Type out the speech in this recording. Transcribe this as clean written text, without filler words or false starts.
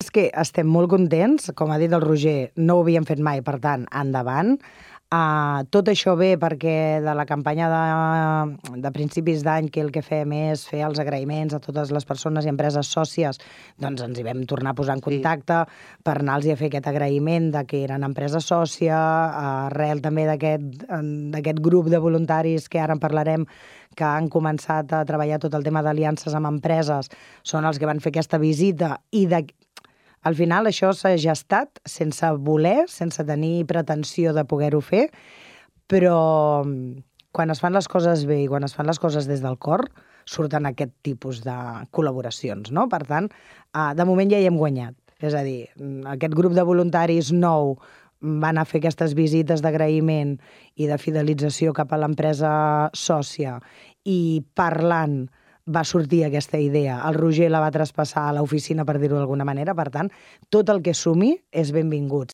és que estem molt contents, com ha dit el Roger, no ho havíem fet mai, per tant, endavant. Tot això ve perquè de la campanya de principis d'any, que el que fem és fer els agraïments a totes les persones i empreses sòcies, doncs ens hi vam tornar a posar en contacte per anar-los a fer aquest agraïment de que eren empresa sòcia, arrel també d'aquest grup de voluntaris que ara en parlarem, que han començat a treballar tot el tema d'aliances amb empreses, són els que van fer aquesta visita i al final això s'ha gestat sense voler, sense tenir pretensió de poder-ho fer, però quan es fan les coses bé i quan es fan les coses des del cor, surten aquest tipus de col·laboracions, no? Per tant, de moment ja hi hem guanyat. És a dir, aquest grup de voluntaris nou va anar a fer aquestes visites d'agraïment i de fidelització cap a l'empresa sòcia i parlant va sortir aquesta idea. El Roger la va traspassar a l'oficina, per dir-ho d'alguna manera. Per tant, tot el que sumi és benvingut.